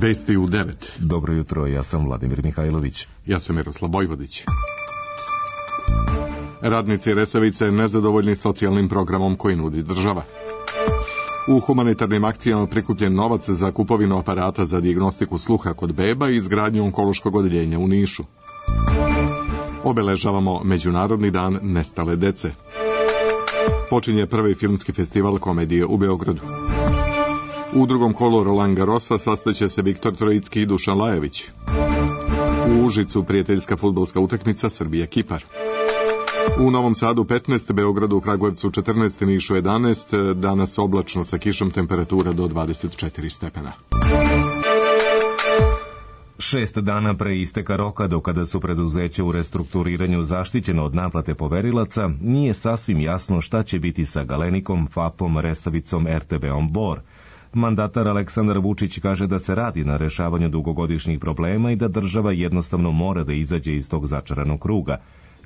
Vesti u 9. Dobro jutro, ja sam Vladimir Mihajlović. Ja sam Miroslav Vojvodić. Radnici Resavice nezadovoljni socijalnim programom koji nudi država. U humanitarnim akcijama prikupljen novac za kupovinu aparata za dijagnostiku sluha kod beba i izgradnju onkološkog odeljenja u Nišu. Obeležavamo Međunarodni dan nestale dece. Počinje prvi filmski festival komedije u Beogradu. U drugom kolu Roland Garrosa sastaće se Viktor Trojicki i Dušan Lajović. U Užicu prijateljska fudbalska utakmica Srbija-Kipar. U Novom Sadu 15, Beogradu, Kragujevcu 14, Nišu 11, danas oblačno sa kišom, temperatura do 24 stepena. 6 dana pre isteka roka do kada su preduzeća u restrukturiranju zaštićeno od naplate poverilaca, nije sasvim jasno šta će biti sa Galenikom, FAP-om, Resavicom, RTB-om Bor. Mandatar Aleksandar Vučić kaže da se radi na rešavanju dugogodišnjih problema i da država jednostavno mora da izađe iz tog začaranog kruga.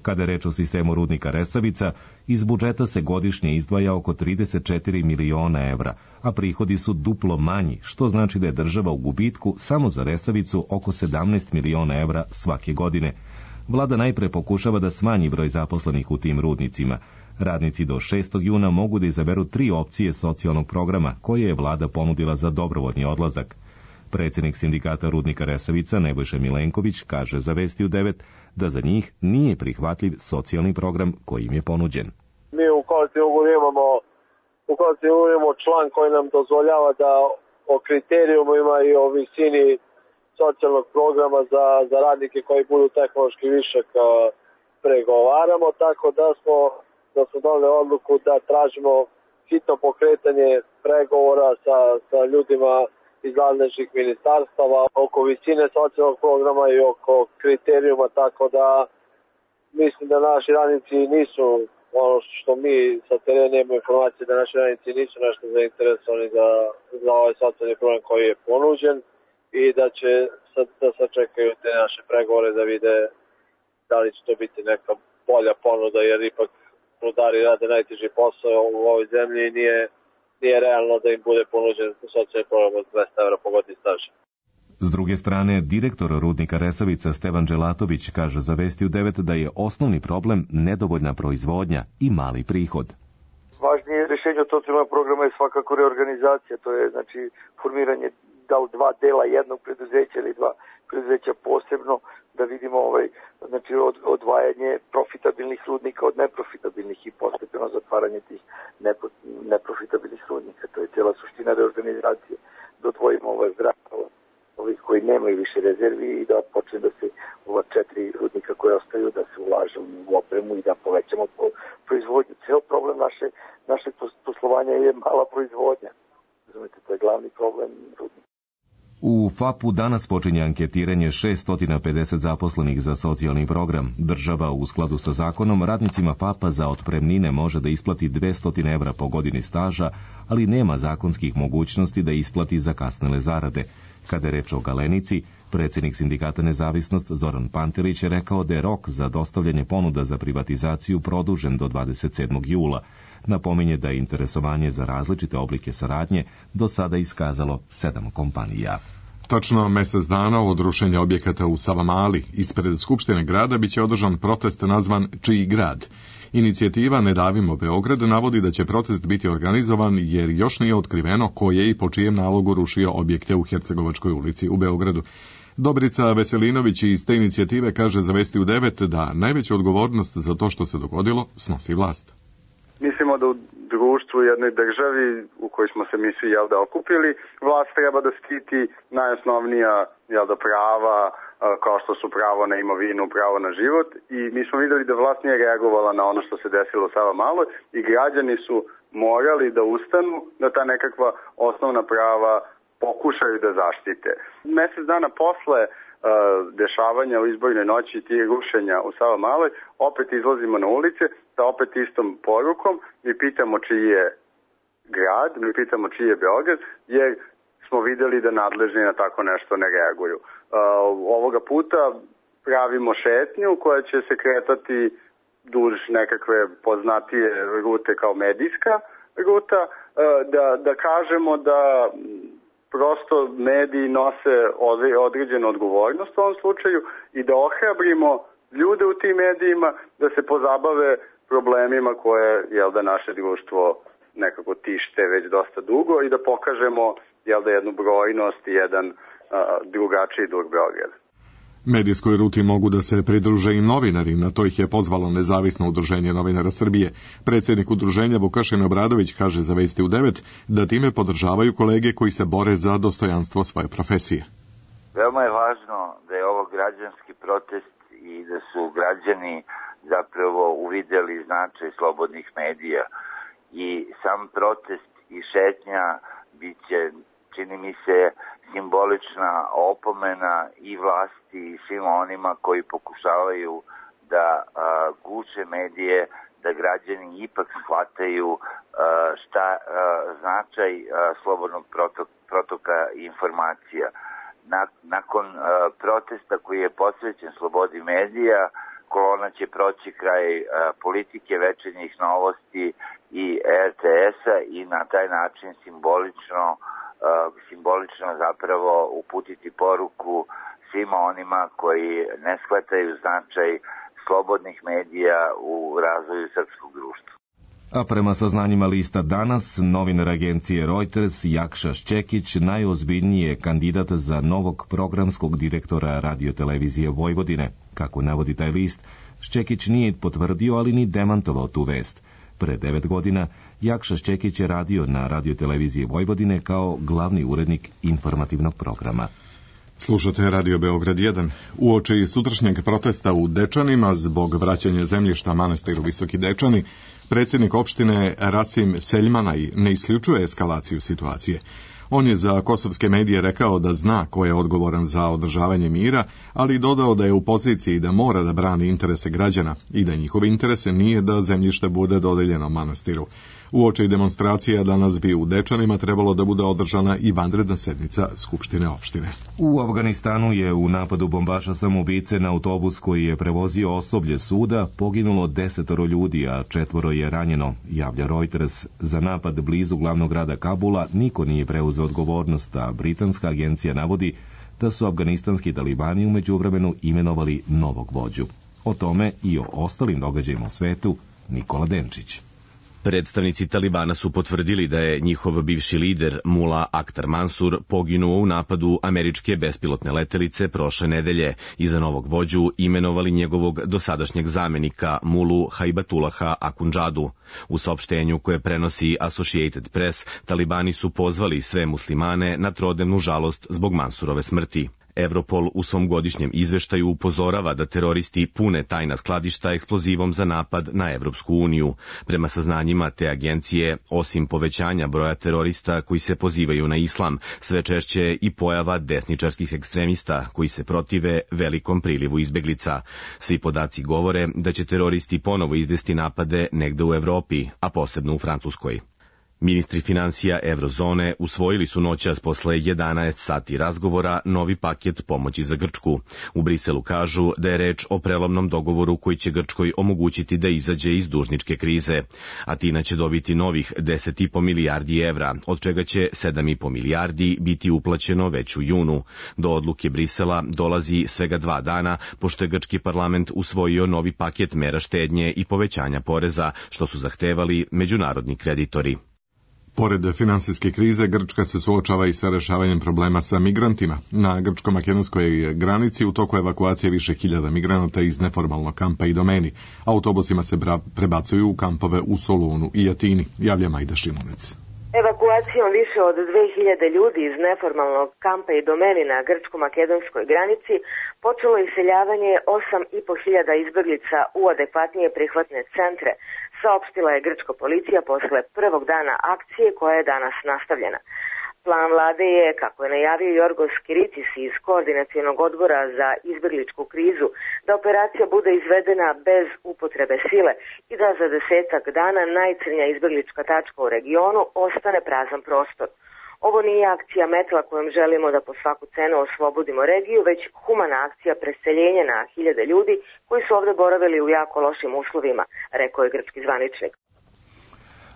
Kada je reč o sistemu rudnika Resavica, iz budžeta se godišnje izdvaja oko 34 miliona evra, a prihodi su duplo manji, što znači da je država u gubitku samo za Resavicu oko 17 miliona evra svake godine. Vlada najpre pokušava da smanji broj zaposlenih u tim rudnicima. Radnici do 6. juna mogu da izaberu 3 opcije socijalnog programa koje je vlada ponudila za dobrovoljni odlazak. Predsjednik sindikata rudnika Resavica Nebojša Milenković kaže za Vesti u 9 da za njih nije prihvatljiv socijalni program koji im je ponuđen. Mi u kolektivnom ugovoru imamo član koji nam dozvoljava da o kriterijumima i o visini socijalnog programa za radnike koji budu tehnološki višak pregovaramo, tako da smo doneli odluku da tražimo hitno pokretanje pregovora sa ljudima iz nadležnih ministarstava oko visine socijalnog programa i oko kriterijuma, tako da mislim da naši radnici nisu, ono što mi sa terena imamo informacije, da naši radnici nisu nešto zainteresovani za ovaj socijalni program koji je ponuđen i da će da sačekaju te naše pregovore da vide da li će to biti neka bolja ponuda, jer ipak rudari rade najteži posao u ovoj zemlji i nije realno da im bude ponuđen socijalni program od 200 evra po godini staža. S druge strane, direktor rudnika Resavica Stevan Đelatović kaže za Vesti u 9 da je osnovni problem nedovoljna proizvodnja i mali prihod. Važnije rješenje od socijalnog programa je svakako reorganizacija, to je znači formiranje da li 2 dela jednog preduzeća ili 2 preduzeća posebno, da vidimo znači odvajanje profitabilnih rudnika od neprofitabilnih i postepeno zatvaranje tih neprofitabilnih rudnika. To je cijela suština reorganizacije. Da odvojimo zdravstvo ovih koji nemaju više rezervi i da počne da se ova 4 rudnika koje ostaju da se ulaže u opremu i da povećamo proizvodnju. Ceo problem našeg poslovanja je mala proizvodnja. Razumete, to je glavni problem rudnika. U FAP-u danas počinje anketiranje 650 zaposlenih za socijalni program. Država u skladu sa zakonom radnicima FAP-a za otpremnine može da isplati 200 evra po godini staža, ali nema zakonskih mogućnosti da isplati zakasnele zarade. Kada je reč o Galenici, predsjednik sindikata Nezavisnost Zoran Pantelić je rekao da je rok za dostavljanje ponuda za privatizaciju produžen do 27. jula. Napominje da je interesovanje za različite oblike saradnje do sada iskazalo 7 kompanija. Tačno mjesec dana od rušenja objekata u Savamali ispred Skupštine grada biće održan protest nazvan Čiji grad. Inicijativa Ne davimo Beograd navodi da će protest biti organizovan jer još nije otkriveno ko je i po čijem nalogu rušio objekte u Hercegovačkoj ulici u Beogradu. Dobrica Veselinović iz te inicijative kaže za Vesti u 9 da najveću odgovornost za to što se dogodilo snosi vlast. Mislimo da u društvu, jednoj državi u kojoj smo se mi svi okupili, vlast treba da štiti najosnovnija prava, kao što su pravo na imovinu, pravo na život, i mi smo videli da vlast nije reagovala na ono što se desilo u Savamaloj i građani su morali da ustanu, da ta nekakva osnovna prava pokušaju da zaštite. Mjesec dana posle dešavanja u izbornoj noći i tih rušenja u Savamaloj, opet izlazimo na ulice sa opet istom porukom, mi pitamo čiji je grad, mi pitamo čiji je Beograd, jer smo videli da nadležni na tako nešto ne reaguju. Ovoga puta pravimo šetnju koja će se kretati duž nekakve poznatije rute kao medijska ruta, da kažemo da prosto mediji nose određenu odgovornost u ovom slučaju i da ohrabrimo ljude u tim medijima da se pozabave problemima koje da naše društvo nekako tište već dosta dugo i da pokažemo jednu brojnost i jedan drugačiji duh Beograda. Medijskoj ruti mogu da se pridruže i novinari, na to ih je pozvalo Nezavisno udruženje novinara Srbije. Predsjednik udruženja Vukašin Obradović kaže za Vesti u 9 da time podržavaju kolege koji se bore za dostojanstvo svoje profesije. Veoma je važno da je ovo građanski protest i da su građani zapravo uvidjeli značaj slobodnih medija i sam protest i šetnja biće, čini mi se, simbolična opomena i vlasti i svim onima koji pokušavaju da guše medije, da građani ipak shvataju šta značaj slobodnog protoka informacija. Nakon protesta koji je posvećen slobodi medija, kolona će proći kraj politike, večernjih novosti i RTS-a i na taj način simbolično zapravo uputiti poruku svima onima koji ne shvataju značaj slobodnih medija u razvoju srpskog društva. A prema saznanjima lista Danas, novinar agencije Reuters Jakša Šćekić najozbiljniji je kandidat za novog programskog direktora radiotelevizije Vojvodine. Kako navodi taj list, Šćekić nije potvrdio, ali ni demantovao tu vest. Pre 9 godina Jakša Šćekić je radio na radioteleviziji Vojvodine kao glavni urednik informativnog programa. Slušate Radio Beograd 1. Uoči sutrašnjeg protesta u Dečanima zbog vraćanja zemljišta manastiru Visoki Dečani, predsjednik opštine Rasim Seljmanaj ne isključuje eskalaciju situacije. On je za kosovske medije rekao da zna ko je odgovoran za održavanje mira, ali dodao da je u poziciji da mora da brani interese građana i da njihove interese nije da zemljište bude dodeljeno manastiru. Uoči demonstracija danas bi u Dečanima trebalo da bude održana i vanredna sednica Skupštine opštine. U Afganistanu je u napadu bombaša samoubice na autobus koji je prevozio osoblje suda poginulo 10 ljudi, a 4 je ranjeno, javlja Reuters. Za napad blizu glavnog grada Kabula niko nije preuzeo odgovornost, a britanska agencija navodi da su afganistanski talibani u međuvremenu imenovali novog vođu. O tome i o ostalim događajima u svetu Nikola Denčić. Predstavnici Talibana su potvrdili da je njihov bivši lider Mula Akhtar Mansur poginuo u napadu američke bespilotne letelice prošle nedelje i za novog vođu imenovali njegovog dosadašnjeg zamenika Mulu Haibatullaha Akhundžadu. U saopštenju koje prenosi Associated Press, Talibani su pozvali sve muslimane na trodnevnu žalost zbog Mansurove smrti. Europol u svom godišnjem izveštaju upozorava da teroristi pune tajna skladišta eksplozivom za napad na Evropsku uniju. Prema saznanjima te agencije, osim povećanja broja terorista koji se pozivaju na islam, sve češće i pojava desničarskih ekstremista koji se protive velikom prilivu izbeglica. Svi podaci govore da će teroristi ponovo izvesti napade negde u Evropi, a posebno u Francuskoj. Ministri financija Eurozone usvojili su noćas posle 11 sati razgovora novi paket pomoći za Grčku. U Briselu kažu da je reč o prelomnom dogovoru koji će Grčkoj omogućiti da izađe iz dužničke krize. Atina će dobiti novih 10,5 milijardi evra, od čega će 7,5 milijardi biti uplaćeno već u junu. Do odluke Brisela dolazi svega 2 dana, pošto je grčki parlament usvojio novi paket mera štednje i povećanja poreza, što su zahtevali međunarodni kreditori. Pored finansijske krize, Grčka se suočava i sa rešavanjem problema sa migrantima. Na grčko-makedonskoj granici u toku evakuacije više hiljada migranata iz neformalnog kampa i domeni. Autobusima se prebacuju u kampove u Solunu i Atini, javlja Majda Šimunec. Evakuacijom više od 2000 ljudi iz neformalnog kampa i domeni na grčko-makedonskoj granici počelo iseljavanje 8.500 izbeglica u adekvatnije prihvatne centre, saopštila je grčka policija posle prvog dana akcije koja je danas nastavljena. Plan vlade je, kako je najavio Jorgos Kiritis iz Koordinacionog odbora za izbegličku krizu, da operacija bude izvedena bez upotrebe sile i da za 10 dana najcrnja izbeglička tačka u regionu ostane prazan prostor. Ovo nije akcija metla kojom želimo da po svaku cenu oslobodimo regiju, već humana akcija preseljenja na hiljade ljudi koji su ovde boravili u jako lošim uslovima, rekao je grčki zvaničnik.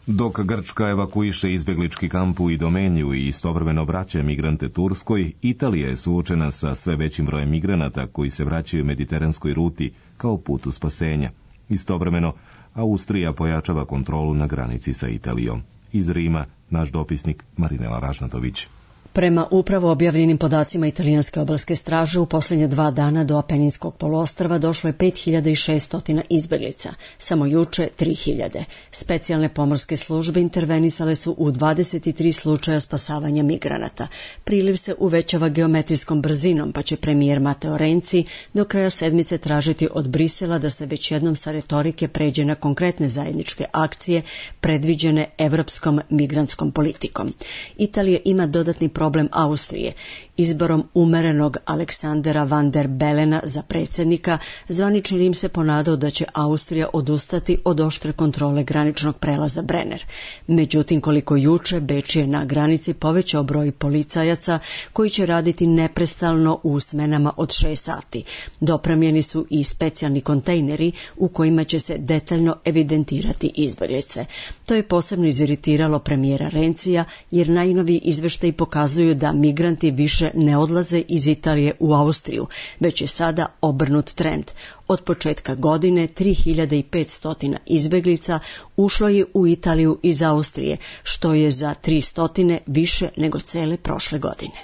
Dok Grčka evakuiše izbjeglički kamp u Idomeniju i istovremeno vraća migrante Turskoj, Italija je suočena sa sve većim brojem migranata koji se vraćaju mediteranskoj ruti kao putu spasenja. Istovremeno, Austrija pojačava kontrolu na granici sa Italijom. Iz Rima, naš dopisnik Marinela Ražnatović. Prema upravo objavljenim podacima italijanske obalske straže, u posljednje 2 dana do Apeninskog poluostrva došlo je 5600 izbjeglica, samo juče 3000. Specijalne pomorske službe intervenisale su u 23 slučaja spasavanja migranata. Priliv se uvećava geometrijskom brzinom, pa će premijer Matteo Renzi do kraja sedmice tražiti od Brisela da se već jednom sa retorike pređe na konkretne zajedničke akcije predviđene evropskom migrantskom politikom. Italija ima dodatni problem Austrije. Izborom umerenog Aleksandera van der Belena za predsjednika, zvanični Rim se ponadao da će Austrija odustati od oštre kontrole graničnog prelaza Brenner. Međutim, koliko juče, Beč je na granici povećao broj policajaca koji će raditi neprestalno u smenama od 6 sati. Dopremljeni su i specijalni kontejneri u kojima će se detaljno evidentirati izbjeglice. To je posebno iziritiralo premijera Renzija, jer najnoviji izvještaji pokazuju da migranti više ne odlaze iz Italije u Austriju, već je sada obrnut trend. Od početka godine 3500 izbjeglica ušlo je u Italiju iz Austrije, što je za 300 više nego cele prošle godine.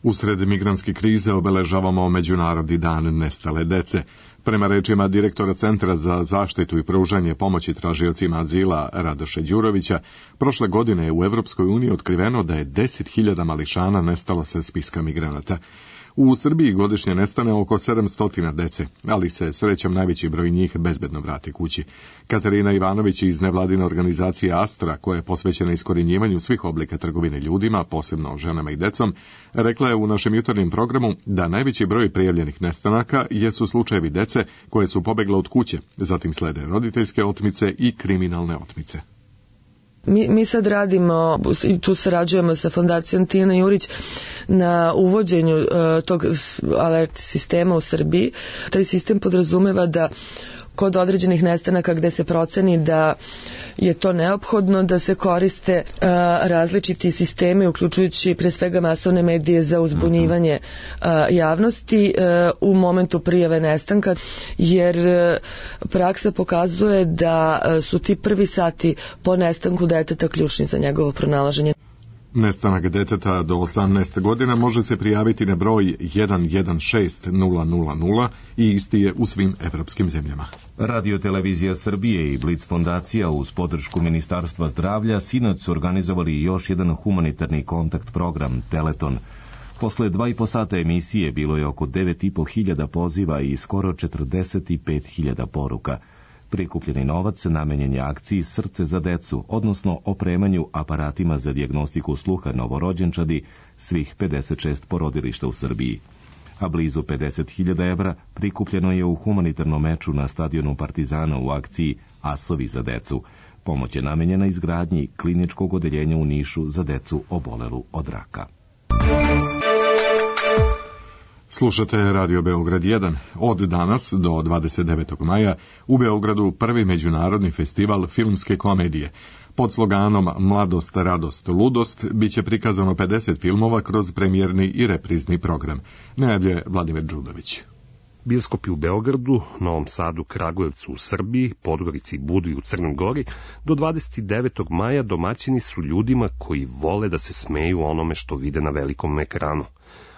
Usred migrantske krize obeležavamo Međunarodni dan nestale dece. Prema rečima direktora Centra za zaštitu i pružanje pomoći tražiocima azila Radoša Đurovića, prošle godine je u Evropskoj uniji otkriveno da je 10.000 mališana nestalo sa spiska migranata. U Srbiji godišnje nestane oko 700 dece, ali se srećom najveći broj njih bezbedno vrati kući. Katarina Ivanović iz nevladine organizacije Astra, koja je posvećena iskorjenjivanju svih oblika trgovine ljudima, posebno ženama i decom, rekla je u našem jutarnjem programu da najveći broj prijavljenih nestanaka jesu slučajevi dece koje su pobegle od kuće, zatim slede roditeljske otmice i kriminalne otmice. Mi sad radimo i tu sarađujemo sa Fondacijom Tijana Jurić na uvođenju tog alert sistema u Srbiji. Taj sistem podrazumeva da kod određenih nestanaka gde se proceni da je to neophodno, da se koriste različiti sistemi, uključujući pre svega masovne medije za uzbunjivanje javnosti u momentu prijave nestanka, jer praksa pokazuje da su ti prvi sati po nestanku deteta ključni za njegovo pronalaženje. Nestanak deteta do 18 godina može se prijaviti na broj 116000 i isti je u svim evropskim zemljama. Radio-televizija Srbije i Blic fondacija uz podršku Ministarstva zdravlja sinoć su organizovali još jedan humanitarni kontakt program Teleton. Posle 2,5 sata emisije bilo je oko 9.500 poziva i skoro 45.000 poruka. Prikupljeni novac namenjen je akciji Srce za decu, odnosno opremanju aparatima za dijagnostiku sluha novorođenčadi svih 56 porodilišta u Srbiji. A blizu 50.000 evra prikupljeno je u humanitarnom meču na stadionu Partizana u akciji Asovi za decu. Pomoć je namenjena izgradnji kliničkog odeljenja u Nišu za decu obolelu od raka. Slušate Radio Beograd 1. Od danas do 29. maja u Beogradu prvi međunarodni festival filmske komedije. Pod sloganom Mladost, radost, ludost biće prikazano 50 filmova kroz premijerni i reprizni program. Najavlje Vladimir Đudović. Bioskopi u Beogradu, Novom Sadu, Kragujevcu u Srbiji, Podgorici i Budvi u Crnoj Gori do 29. maja domaćini su ljudima koji vole da se smeju onome što vide na velikom ekranu.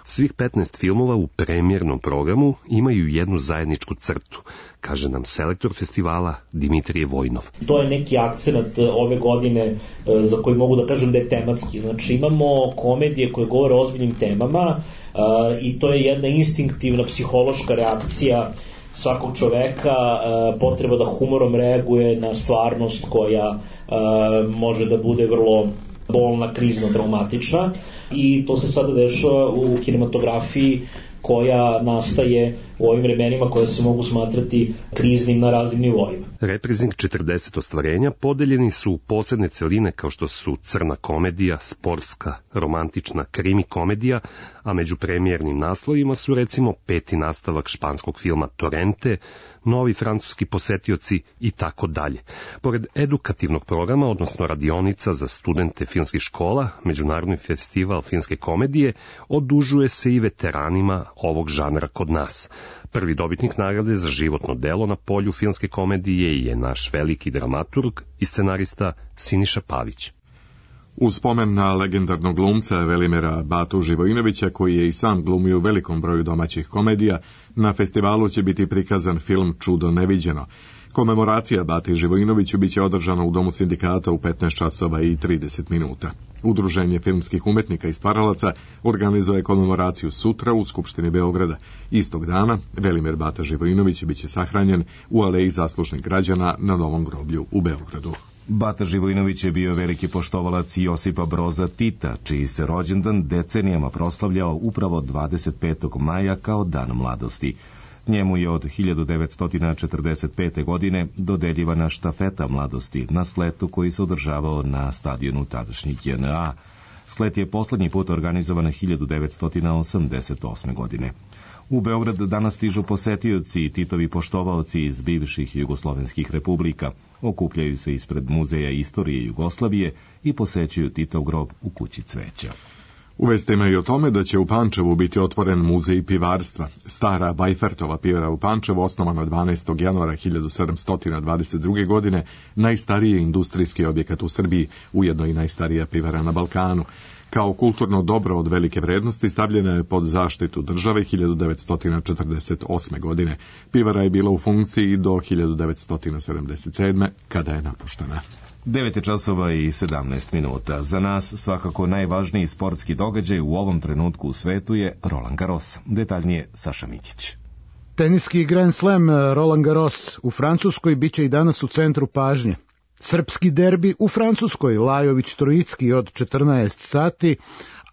Svih 15 filmova u premijernom programu imaju jednu zajedničku crtu, kaže nam selektor festivala Dimitrije Vojnov. To je neki akcenat ove godine za koji mogu da kažem da je tematski. Znači imamo komedije koje govore o ozbiljnim temama i to je jedna instinktivna psihološka reakcija svakog čoveka, potreba da humorom reaguje na stvarnost koja može da bude vrlo bolna, krizno, traumatična, i to se sada dešava u kinematografiji koja nastaje u ovim vremenima koje se mogu smatrati kriznim na raznim nivoima. Reprizing 40 ostvarenja podeljeni su u posebne celine kao što su crna komedija, sportska, romantična, krimi komedija, a među premijernim naslovima su recimo 5. nastavak španskog filma Torrente, novi francuski posetioci i tako dalje. Pored edukativnog programa, odnosno radionica za studente filmskih škola, Međunarodni festival filmske komedije odužuje se i veteranima ovog žanra kod nas. Prvi dobitnik nagrade za životno delo na polju filmske komedije je naš veliki dramaturg i scenarista Siniša Pavić. U spomen na legendarnog glumca Velimira Batu Živojinovića, koji je i sam glumio u velikom broju domaćih komedija, na festivalu će biti prikazan film Čudo neviđeno. Komemoracija Bati Živojinoviću biće održana u Domu sindikata u 15 časova i 30 minuta. Udruženje filmskih umetnika i stvaralaca organizuje komemoraciju sutra u Skupštini Beograda. Istog dana Velimir Bata Živojinović biće sahranjen u Aleji zaslužnih građana na Novom groblju u Beogradu. Bata Živojinović je bio veliki poštovalac Josipa Broza Tita, čiji se rođendan decenijama proslavljao upravo 25. maja kao dan mladosti. Njemu je od 1945. godine dodeljivana štafeta mladosti na sletu koji se održavao na stadionu tadašnjih JNA. Slet je poslednji put organizovan 1988. godine. U Beograd danas stižu posetioci i Titovi poštovaoci iz bivših jugoslovenskih republika. Okupljaju se ispred Muzeja istorije Jugoslavije i posećuju Titov grob u Kući cveća. U vestima i o tome da će u Pančevu biti otvoren muzej pivarstva. Stara Vajfertova pivara u Pančevu, osnovana 12. januara 1722. godine, najstariji industrijski objekat u Srbiji, ujedno i najstarija pivara na Balkanu. Kao kulturno dobro od velike vrednosti stavljena je pod zaštitu države 1948. godine. Pivara je bila u funkciji do 1977. kada je napuštena. 9 časova i 17 minuta. Za nas svakako najvažniji sportski događaj u ovom trenutku u svetu je Roland Garros. Detaljnije Saša Mikić. Teniski Grand Slam Roland Garros u Francuskoj biće i danas u centru pažnje. Srpski derbi u Francuskoj, Lajović-Trojicki od 14 sati,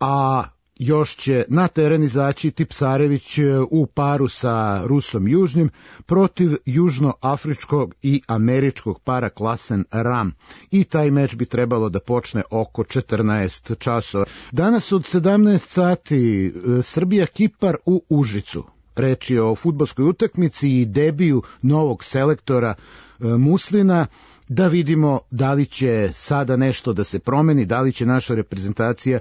a još će na teren izaći Tipsarević u paru sa Rusom Južnim protiv južnoafričkog i američkog para Klasen Ram. I taj meč bi trebalo da počne oko 14 časova. Danas od 17 sati Srbija-Kipar u Užicu. Reč je o fudbalskoj utakmici i debiju novog selektora Muslina. Da vidimo da li će sada nešto da se promeni, da li će naša reprezentacija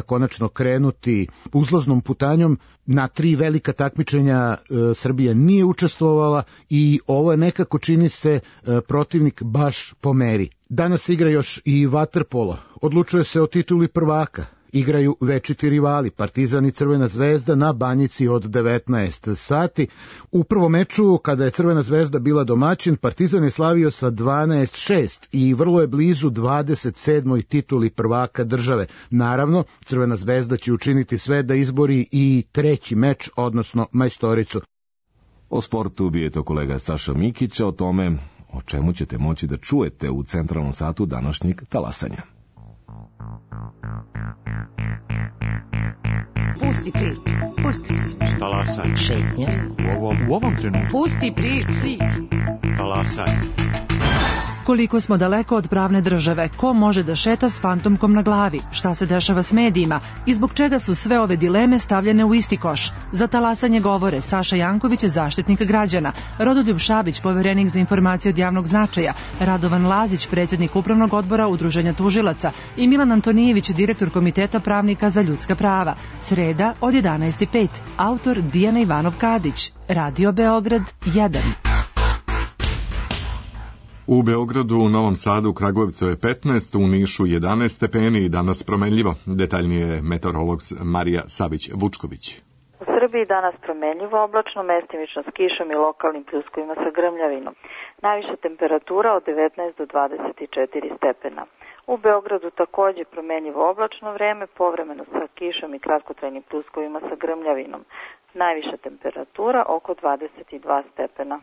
konačno krenuti uzlaznom putanjom. Na 3 velika takmičenja Srbija nije učestvovala i ovo je nekako, čini se, protivnik baš po meri. Danas igra još i vaterpolo. Odlučuje se o tituli prvaka. Igraju večiti rivali, Partizan i Crvena zvezda na Banjici od 19 sati. U prvom meču, kada je Crvena zvezda bila domaćin, Partizan je slavio sa 12-6 i vrlo je blizu 27. tituli prvaka države. Naravno, Crvena zvezda će učiniti sve da izbori i treći meč, odnosno majstoricu. O sportu bio je to kolega Saša Mikić, o tome o čemu ćete moći da čujete u centralnom satu današnjeg talasanja. Pusti priču. Pusti priču. Talasanje. Šetnja. U ovom trenutku. Pusti priču. Talasanje. Koliko smo daleko od pravne države, ko može da šeta s fantomkom na glavi, šta se dešava s medijima i zbog čega su sve ove dileme stavljene u isti koš. Za talasanje govore Saša Janković, zaštitnik građana, Rodoljub Šabić, poverenik za informacije od javnog značaja, Radovan Lazić, predsjednik upravnog odbora Udruženja tužilaca i Milan Antonijević, direktor Komiteta pravnika za ljudska prava. Sreda od 11:05. Autor Dijana Ivanov Kadić. Radio Beograd 1. U Beogradu, u Novom Sadu, Kragujevcu je 15, u Nišu 11 stepeni i danas promenljivo. Detaljnije je meteorolog Marija Savić-Vučković. U Srbiji danas promenljivo, oblačno, mestimično s kišom i lokalnim pljuskovima sa grmljavinom. Najviša temperatura od 19 do 24 stepena. U Beogradu takođe promenljivo oblačno vreme, povremeno sa kišom i kratkotrajnim pljuskovima sa grmljavinom. Najviša temperatura oko 22 stepena.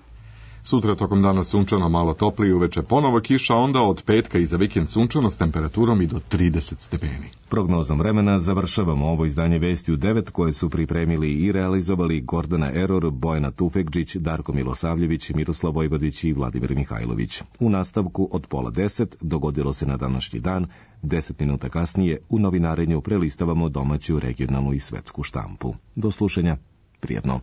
Sutra tokom dana sunčano, malo toplije, uveče ponovo kiša, onda od petka i za vikend sunčano s temperaturom i do 30 stepeni. Prognozom vremena završavamo ovo izdanje Vesti u 9 koje su pripremili i realizovali Gordana Eror, Bojana Tufekđić, Darko Milosavljević, Miroslav Vojvodić i Vladimir Mihajlović. U nastavku od 9:30 dogodilo se na današnji dan, 10 minuta kasnije u novinarenju prelistavamo domaću, regionalnu i svetsku štampu. Do slušanja, prijetno.